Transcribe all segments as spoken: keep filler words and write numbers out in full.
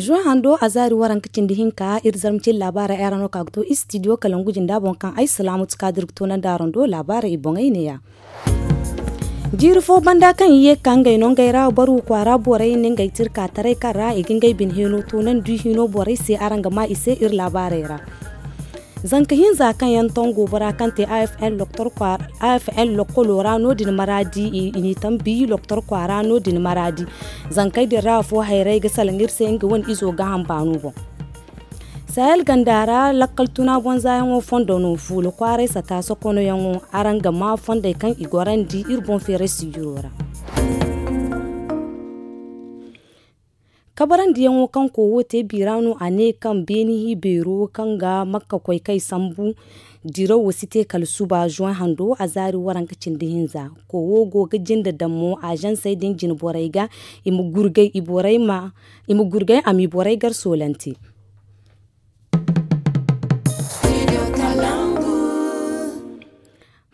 Zuwan hando a zaari waranka cindi hinka iri zarma cindi laabaarey ay ra no ka ga to istidiyo kalangu jinda boŋ kaŋ ay salaamatu kaadir ga toonandi araŋ do laabaarey i boŋey neeya. Jiiri fo banda kaŋ i ye ga ka ngey no ngey ra barwu kwaara borey na ngey tirka taray kaŋ ra i ga ngey bine hino toonandi hino borey se araŋ ga ma i se iri laabaarey ra. Zanka hinza kaŋ yaŋ tongo bora kaŋ te afn lokolo ra no- din maraadi i n'i tambi lokolo kwaara no- din maraadi. Zankey din ra afo hayray ga salaŋ iri se nga wane izo ga hamba no boŋ. Sahel ganda ra lakkal tuna bonza yaŋo fondo no fuula kwaaray sata sokono yaŋo araŋ ga ma fondey kaŋ i gorandi iri boŋ feeray sijiro ra. Kabarandi yaŋo kaŋ kowo te biira no a ne kaŋ beeni hi beero kaŋ ga makka koy kay sambu dirawo si te kala suba zuwan hando a zaari waranka cindi hinza. Kowo go ga jinde daŋ mo azansey din jine borey ga i ma gurgay i borey ma i ma gurgay a m'i borey gar soolante.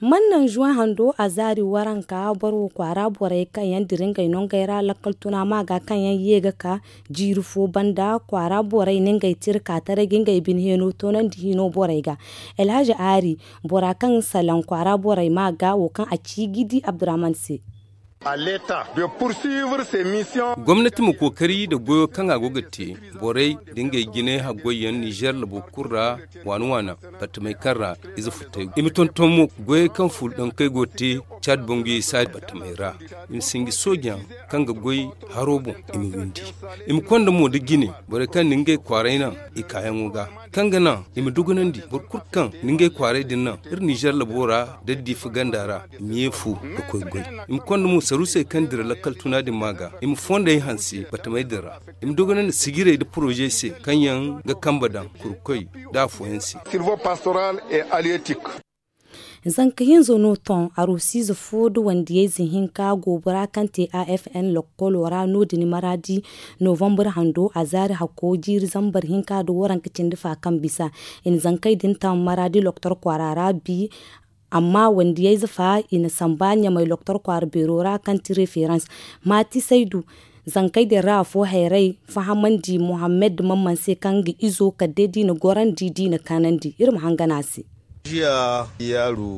Man naŋ zuwan hando a zaari waranka boro kwaara borey kaŋ yaŋ dira ngey no ngey ra lakkal tuna ma ga kaŋ yaŋ ye ga ka jiiri fo banda kwaara borey na ngey tira ka taray ga ngey bine heno toonandi hino borey ga. Elhaji aari bora kaŋ salaŋ kwaara borey ma ga wo kaŋ a ci ga i di abdurahman se. Gomnati ma kookari nda goyo kaŋ a go ga te borey nda ngey jinay haggoyyaŋ nizeer labo kulu ra waana waana battamey kaŋ ra ize futay i ma tonton mo goyey kaŋ fuula dankey go ga te caad banguyey saadi battamey ra. I ma sinji soojayaŋ kaŋ ga goy haro boŋ i ma windi. I ma konda mo nda jine borey kaŋ na ngey kwaaray naŋ i kaayaŋo ga kaŋ ga naŋ i ma dugunandi boro kulu kaŋ na ngey kwaaray din naŋ iri nizeer labo ra da diifa ganda ra i ma ye fu ga koy goy. I ma konda mo saruusey kaŋ dira lakkal tuna din ma ga i ma fondey hanse battamey din ra. I ma dogonandi sijirey nda porozey se kaŋ yaŋ ga kambe daŋ kurkoy nda afooyaŋ se. Zanka hinza no ton arusiize fo nda wandiyayze hinka goobora kaŋ te afn lokkolo ra no- din maraadi novambar hando a zaari hakko jiiri zambar hinka nda waranka cindi fa kaŋ bisa. I na zankey din taŋ maraadi loktor kwaara ra bi. Amma wandiyayze fa i na samba ɲamay loktor kwaara beero ra kaŋ ti referans maati saydu. Zankey din ra afo hayray fahamandi mohammed mamman se kaŋ ga izo kala day da i na gorandi da i na kaanandi iri ma hangan a se.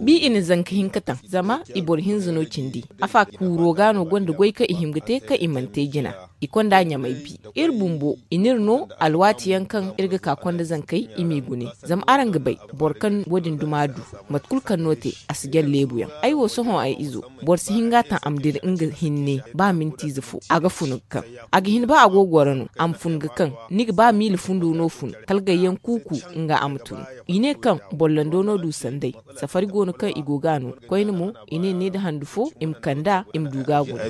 Bi i na zanka hinka taŋ zama i boro hinza no cindi. Afa kuuro ga no gonda goy kaŋ i hima ga te kaŋ i mana te jina. I konda ɲamay bi iri bumbo i n'iri no alwaati yaŋ kaŋ iri ga ka konda zankey i m'i gune. Zama araŋ ga bay boro kaŋ wo- din duma du mate kulu kaŋ no te a si jaŋ leebu yaŋ. Ay wo sohõ ay izo boro si hin ga a taŋ a ma dira nga hinne ba mintiize fo a ga fun ga kaŋ. A ga hin ba a go ga goro no a ma fun ga kaŋ. Ni ga ba miila fundo no fun kala gayyaŋ kuuku nga a ma tun. I ne kaŋ boro lando no du sanday. Safari go no kaŋ i go ga a no koyne mo i ne ne nda handu fo i ma kand'a i ma du ga a guna.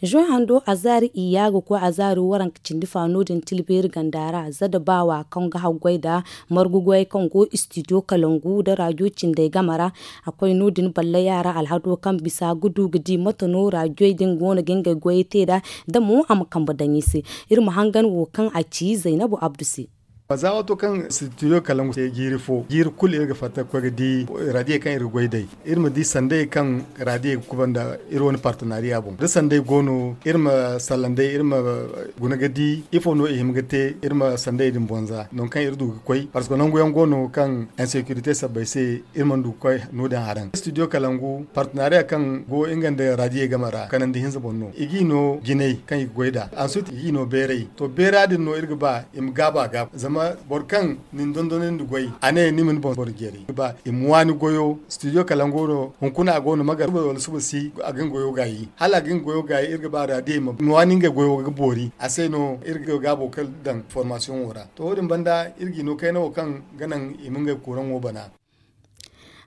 Zoy hando azaari iyya ga koy azaari waranka cindi fa no- din tilbeeri ganda ra za da baawa kaŋ ga haggoy nda margu goyey kaŋ go istidiyo kalangu nda raajo cindey game ra. A koy no- din ballaya ra alhado kaŋ bisa ga du ga di mate no raajoy din go no ga ngey goyey te nd'a da mo a ma kambe daŋ i se. Iri ma hangan wo kaŋ a ci zaynabu abdu se. Za waato kaŋ sitidiyo kalangu te jiiri fo jiiri kulu iri ga fatta ga koy ga di raadiye kaŋ iri ga goy day. Iri ma di sanday kaŋ raadiye ga kubanda iri wane partenariya boŋ da sanday go no iri ma sallanday iri ma guna ga di ifo no i hima ga te iri ma sanday din bonza nangu kaŋ iri du ga koy parceque nangu yaŋ go no kaŋ insecurite sabbay se iri mana du ga koy no- din haraŋ sitidiyo kalangu partenariya kaŋ go nga nda raadiye game ra kanandi hinza boŋ no i g'i no jinay kaŋ i ga goy nd'a ansuti i g'i no beeray to beera din no iri ga ba i ma gaaba a gaaba zama boro kaŋ nin dondonandi goy a ne ni ma ni boŋ boro jeeri i ma waani goyo studio kalango no hunkuna a go no magar suba wala suba si a ga nga goyo gaayi hala a ga nga goyo gaayi iri ga ba raadiye ma waani ngey goyo ga boori a se no iri ga gaabo kala daŋ formasiyoŋo ra to wo- din banda iri g'i no kayna wo kaŋ ga naŋ i ma ngey kuraŋo bana.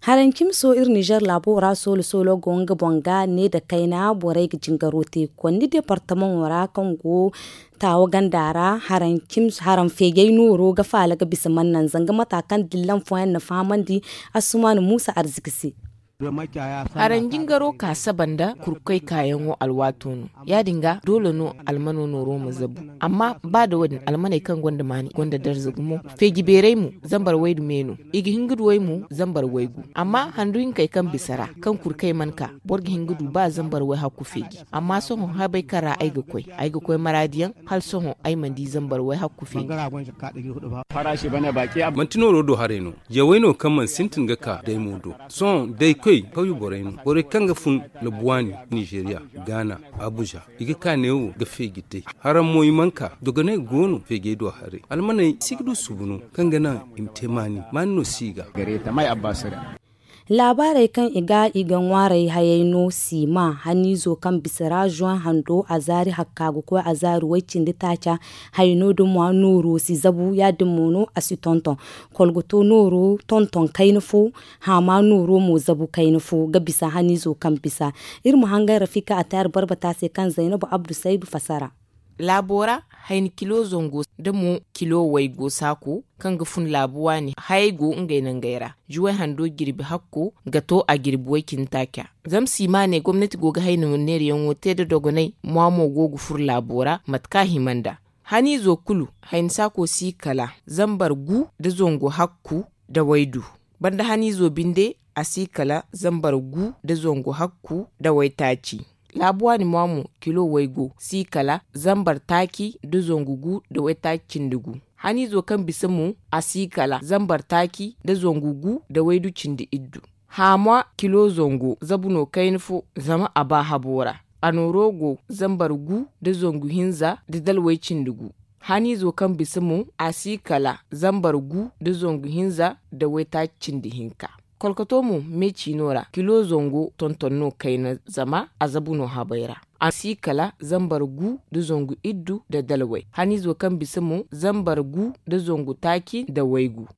Haraŋ cimi so iri nizer laabo ra soolo soolo go nga boŋ ga ne nda kayna borey ga jingaro te konni departamaŋo ra kaŋ go taawa ganda ra. Haraŋ feejey nooro ga faala ga bisa mannaŋ zanga mata kaŋ dillan fooyaŋ na fahamandi. Assumanu muusa arziki se. Haranjingaro ka saba nda kurkey kaayaŋo alwaato no. Ya- din ga doole no almano nooro ma zabu. Amma ba da wo- din almaney kaŋ gonda maani gonda darza gumo. Feeji beerey mo zambar waydu me no. I ga hin ga du way mo zambar waygu. Amma handu hinkey kaŋ bisa ra kaŋ kurkey mana ka, boro ga hin ga du ba zambar wayhakku feeji. Amma sohõ habey kaŋ ra ay ga koy, ay ga koy maraadiyaŋ, hala sohõ ay mana di zambar wayhakku feeji. Manti nooro do haray no. Jawey no kaŋ mana sintin ga ka daymo do. Sohõ daykoy kawye borey no, borey kaŋ ga fun labuwaani, nizeeriya, gaana, abuza. I ga ka neewo ga feeji day. Haraŋ mo i mana ka. Dogoney go no feejey do haray. Almaney si ga du subu no kaŋ ga naŋ i ma te maani. Maani no si i ga. Laabaarey kaŋ i ga i ga ŋwaaray hayey no, siima haniizo kaŋ bisa ra zoŋ hando a zaari hakka ga koy a zaari way cindi taaca. Hayno da mwa nooro si zabu ya- din mo no a si tonton. Kolgoto nooro tonton kayna fo. Haama nooro mo zabu kayna fo ga bisa haniizo kaŋ bisa. Iri ma hangan rafika a taari barbata se kaŋ zaynabu abdu saydu fasara. Laabo ra hayni kilo zango da mo kilo waygo saako kaŋ ga fun laabu waani hayey go ngey nangey ra. Juway hando jirbi hakko ga to a jirbi way cindi taaca. Zama siima ne gomnati go ga hayni neerayaŋo te nda dogonay mwa mo go ga fur laabo ra mate kaŋ a hima nd'a. Haniizo kulu hayni saako si kala zambar gu nda zangu hakku nda waydu. Banda haniizo binde a si kala zambar gu nda zangu hakku nda waytaaci. Laabu waani mwa mo kilo waygo si kala zambar taaci nda zangu gu nda waytaaci cindi gu. Haniizo kaŋ bisa mo a si kala zambar taaci nda zangu gu nda waydu cindi iddu. Haamwa kilo zango zabu no kayna fo zama a ba habo ra. A nooro go zambar gu nda zangu hinza nda dalway cindi gu. Haniizo kaŋ bisa mo a si kala zambar gu nda zangu hinza nda waytaaci cindi hinka. Kolkoto mo me ciino ra kilo zango tonton no kayna zama a zabu no habay ra. A si kala zambar gu nda zangu iddu nda dalway. Haniizo kaŋ bisa mo zambar gu nda zangu taaci nda waygu.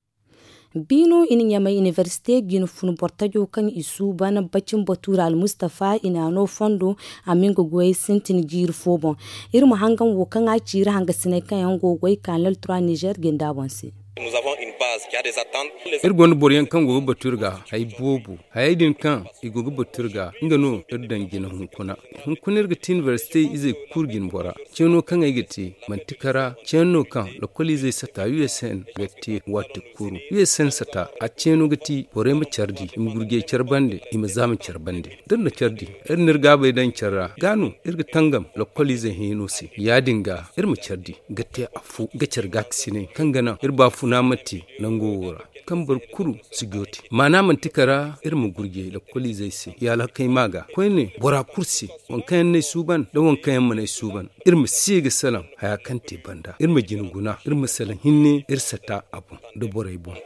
Biino i na ɲamay iniversite ga i na fun bortajo kaŋ i suuban bacin batuura almustafa i na a no fondo a ma nga goyey sintin jiiri fo boŋ. Iri ma hangan wo kaŋ a ciiri hangasiney kaŋ yaŋ go ga goy kaanal tura nizer ga i nda a boŋ se. Iri gonda boro yaŋ kaŋ go ga batu iri ga hay boobo. Hayey din kaŋ i go ga batu iri ga nga no iri daŋ jina hunkuna. Hunkuna iri ga ti iniversite izey kulu jina bora. Ceeno kaŋ ay ga te manti kara ceeno no kaŋ lokol izey sata u s n ga te waati kulu u s n sata a ceeno ga ti borey ma care di i ma gurjey care bande i ma zaama care bande. Da iri na care di iri na iri gaabey daŋ care ra ga no iri ga tangam lokol izey hẽeno se. Ya- din ga iri ma care di ga te afo ga care gaakasinay kaŋ ga naŋ iri baafuna ma te nango wo ra kaŋ boro kulu si joote. Maana manti kara iri ma gurjey lokol izey se ya alhakey ma ga koyne bora kulu se. Waŋ kaŋ yaŋ n'ay suuban nda waŋ kaŋ yaŋ mana ay suuban iri ma si ga salaŋ haya kaŋ te banda iri ma jina guna iri ma salaŋ hinne iri sata a boŋ nda borey boŋ.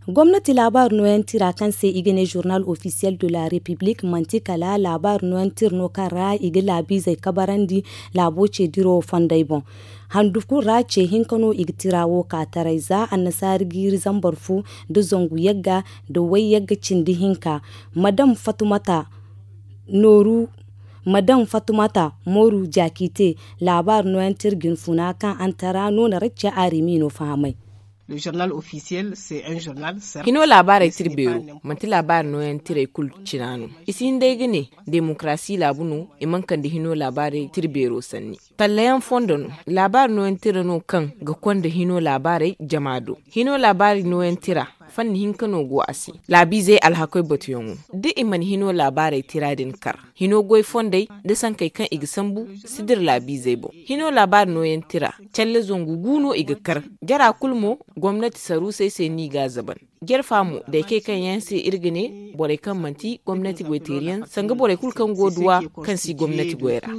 Gomnati laabaari nooyaŋ tira kaŋ se i ga ne journal officiel de la république manti kala laabaari nooyaŋ tira no kaŋ ra i ga laabiizey kabarandi laabo ce diro fondey boŋ. Handu kulu ra ce hinka no i ga tira wo ka taray za annasaari jiiri zambar fu nda zangu yagga nda way yagga cindi hinka. Madam fatumata nooru madam fatumata mooru jaakite laabaari nooyaŋ tira jinfuna kaŋ antara no na racca aarimi no fahamay. Hino laabaarey tira beero manti laabaari nooyaŋ tirey kulu cina no. I si hin day ga ne demokarasi laabu no i mana kande hino laabaarey tira beero sanni. Tallayaŋ fondo no laabaari nooyaŋ tira no kaŋ ga konda hino laabaarey jama do. Hino laabaari nooyaŋ tira fanni hinka no go a se. Laabiizey alhakoy batuyaŋo da i mana hino laabaarey tira din kar hino goy fondey nda sankey kaŋ i ga sambu si dira laabiizey boŋ. Hino laabaari nooyaŋ tira calle zangu gu no i ga kar. Jara kulu mo gomnati saruusey se no i g'a zaban. Jarfa mo daykey kaŋ yaŋ se iri ga ne borey kaŋ manti gomnati goyteeriyaŋ sanga borey kulu kaŋ go duwa kaŋ si gomnati goy ra.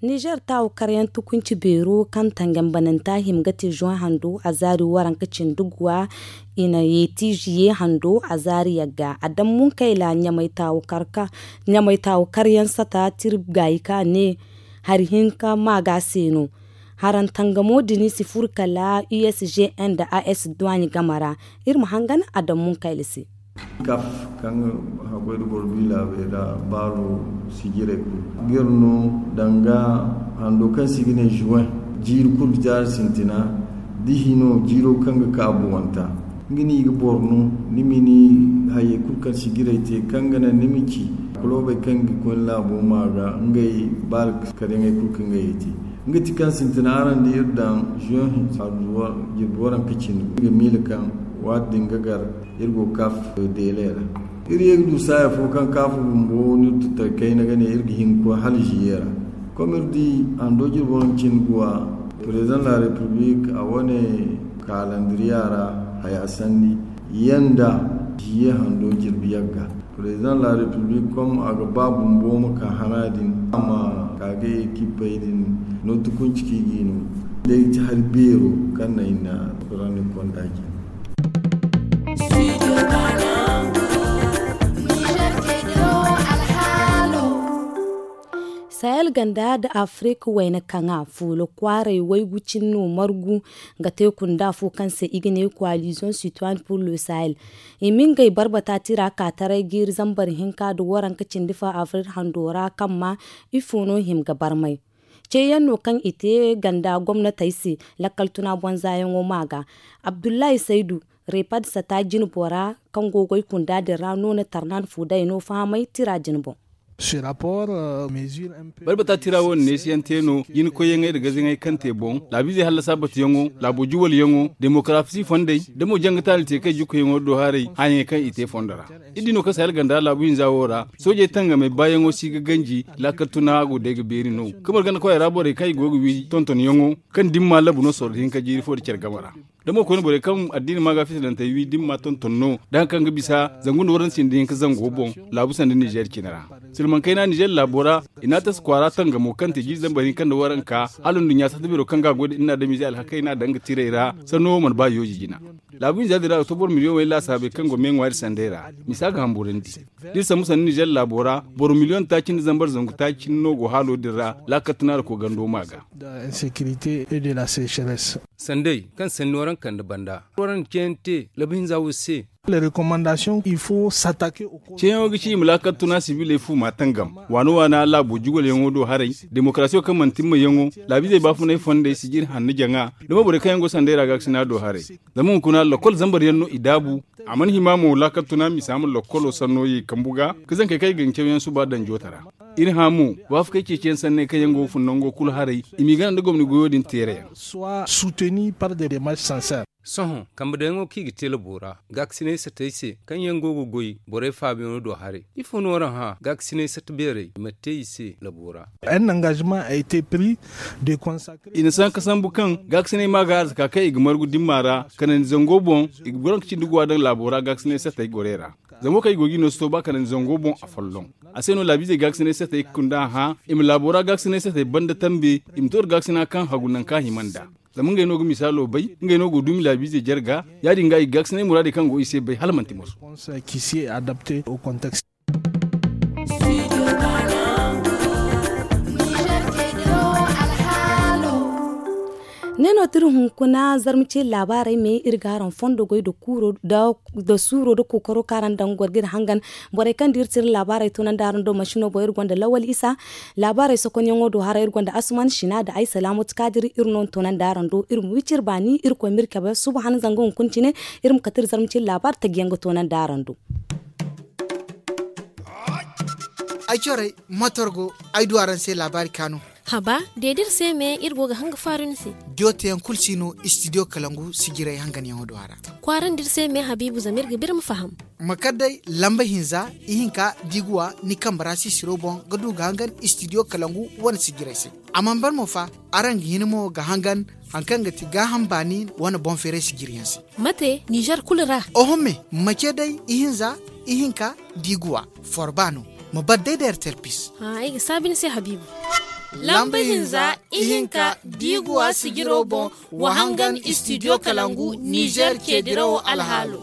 Nizer taawu karyaŋ tukunci beero kaŋ tangambananta hima ga te zoŋ hando a zaari waranka cindi guwa. I na yeeti ziye hando a zaari yagga a daŋ munkayla ɲamay taawu karka ɲamay taawu karyaŋ sata tiri gaayi ka ne hari hinka maaga se no. Haraŋ tangamo din si furu kala usgn da as duwaaɲi game ra. Iri ma hangan a daŋ munkayla se. Kaf kaŋ ga haggoy nda boro du i laabey ra baalo sijirey kulu ga iri no danga hando kaŋ se i ga ne juwen. Jiiri kulu jaari sintina da hino jiiro kaŋ ga ka buwanta, nga no i ga boro no. Ni ma ni hayey kulu kaŋ sijirey te kaŋ ga naŋ ni ma ci kulobey kaŋ ga koy ni laabo ma ga ngey baala karyaŋey kulu kaŋ ngey ga te. Nga ti kaŋ sintina araŋ da iri daŋ zuwan hinsa jirbi waranka cindi, nga miila kaŋ waati din ga gar iri go ga ka deeley ra. Iri ye ga du saaya fo kaŋ kaafa bumbo no iri tutay kayna ga ne iri ga hin ga koy hala ziye ra. Kom iri di hando jirbi waranka cindi guwa, president la republik a wane kaalandiriya ra haya sanni yanda ziye hando jirbi yagga. President la republik kom a ga ba bumbo ma ka hana din a ma ka ga ekipey din no tukunci kaŋ i ga i no day ti hari beero kaŋ na i na rani konda jina. Sahel ganda nda Afirka wayna kaŋa fuula kwaaray waygu cine no margu ga te kunda fo kaŋ se i ga ne Coalition Citoyenne pour le Sahel. I ma ngey barbata tira ka taray jiiri zambar hinka nda waranka cindi fo Afirka hando ra kaŋ ma ifo no hima ga barmay. Ceeyaŋ no kaŋ i te ganda gomnatey se lakkal tuna bonzayaŋo ma ga. Abdullahi Saydu, Repad sata jine bora kaŋ go goy kunda din ra no na tarnan fu day no fahamay tira din boŋ. Barbata tira wo na neesiyaŋ te no jine koyyaŋey nda gazayaŋey kaŋ te boŋ laabiizey hallasa batuyaŋo, laabo juwalyaŋo, demokarasi fondey, da mo janga taali te kay jukkuyaŋo do haray hããyaŋey kaŋ i te fondo ra. Iri di no kaŋ sahel ganda laabu hinza wo ra soojey tangamey baayaŋo si ga ganji. Laakal tuna go day ga beeri no kamar ganda koyey ra borey kaŋ i go ga wi tontonyaŋo kaŋ dimma labu no sorro hinka jiiri fo nda care game ra. Da mo koyne borey kaŋ addiini ma ga fitilantey wi dimma tonton no da hari kaŋ ga bisa zangu nda waranka cindi hinka zango boŋ laabu sanda nizeer cine ra. Silmaŋ kayna nizeer laabo ra i na a tasa kwaara tangamo kaŋ te jiiri zambar hinka nda waranka hala nduɲɲa sata beero kaŋ ga a goy nda iri na adamiizey alhakey no a daŋ ga tirey ra sanno wo mana ba yooji jina. Laabu hinza din ra a ga to boro miliyoŋ way laasaabey kaŋ go me ŋwaari sanday ra. Misa ga hamburandi da iri sambu sanda nizeer laabo ra boro miliyoŋ taaci nda zambar zangu taaci no go haalo din ra laakal tuna nda koogando ma ga. Sanday kaŋ sanni waraŋ kande banda waraŋ ceeyaŋ te labu hinza wo se. Ceeyaŋo ga ci i ma laakal tuna sibiley fu ma tangam waana waana laabo jugolyaŋo do haray, demokarasiyo kaŋ mana timmayaŋo, laabiizey baafunay fondey sijiri hanno jaŋa. Da mo borey kaŋ yaŋ go sanday ra gaakasina do haray. Zama hunkuna lakkol zambar yaŋ no i daabu. A mana hima mo laakal tuna misa ma lakkolo sanno ye kambu ga ka zankey kaŋ i ga ni cawyaŋ suba daŋ joota ra. Iri hã mo waafakey ceeciyaŋ sanney kaŋ yaŋ go ga fun nango kulu haray i m'i gana nda gomni goyo din teerayaŋ. Sohõ kambe daŋyaŋo kaŋ i ga te labo ra gaakasinay satey se kaŋ yaŋ go ga goy borey faabiyaŋo do haray. Ifo no waraŋ hã gaakasinay sata beerey i ma te i se labo ra? I na sanka sambu kaŋ gaakasinay ma ga arzaka kaŋ i ga margu dimma ra kanandi zango boŋ. I ga goro ga cindi guwa daŋ laabo ra gaakasinay satey gorey ra. Zango kaŋ i go ga i no si to ba kanandi zango boŋ a folloŋ. A se no laabiizey gaakasinay satey ga kunda a hã i ma laabo ra gaakasinay satey banda tambe i ma to da gaakasina kaŋ hagu nangu kaŋ a hima nd'a. Zama ngey no ga misaalo bay, ngey no go ga dumi laabiizey jarga. Ya- din ga i ga gaakasinay muraadey kaŋ go i se bay hala manti moso. Ne no tiri hunkuna zarma ce laabaarey me iri ga araŋ fondo goy da suuro da kookaro kaŋ araŋ daŋ ga goro ga iri hangan. Borey kaŋ da iri tira laabaarey toonandi araŋ do masino boŋ iri gonda lawal isa. Laabaarey sokonyaŋo do hara iri gonda asuman sina da ay salaamatu kaadiri iri no na toonandi araŋ do iri ma wiciri baani irkoy ma iri cabe suba han zanga hunkuna cine. Iri ma kate iri zarma cine laabaari taji yaŋ ga toonandi araŋ do. Ay corey motor go ay du araŋ se laabaari kaanu. Haba, deedi iri se me iri go ga hanga faaru ni se. Diyo teyaŋ kulu si no istidiyo kalangu sijirey hanganyaŋo do a ra. Kwaarandi iri se me habiibu zama iri ga ba iri ma faham. Ma kar day lamba hinza ihinka diiguwa ni kambe ra sisiro boŋ ga du ga hangan istidiyo kalangu wane sijirey se. A mana ban mo fa, araŋ ga hin mo ga hangan hari kaŋ ga ti gaaham baani wane boŋ feeray sijiriyaŋ se. Mate nizer kulu ra? Oho me, ma ce day ihinza ihinka diiguwa forba no. Ma bar day da ertel pis. Ay ga saabi ni se habiibu. Lamba hinza ihinka diiguwa sijiro boŋ, wa hangan istidiyo kalangu nizer ceedirawo alhaalo.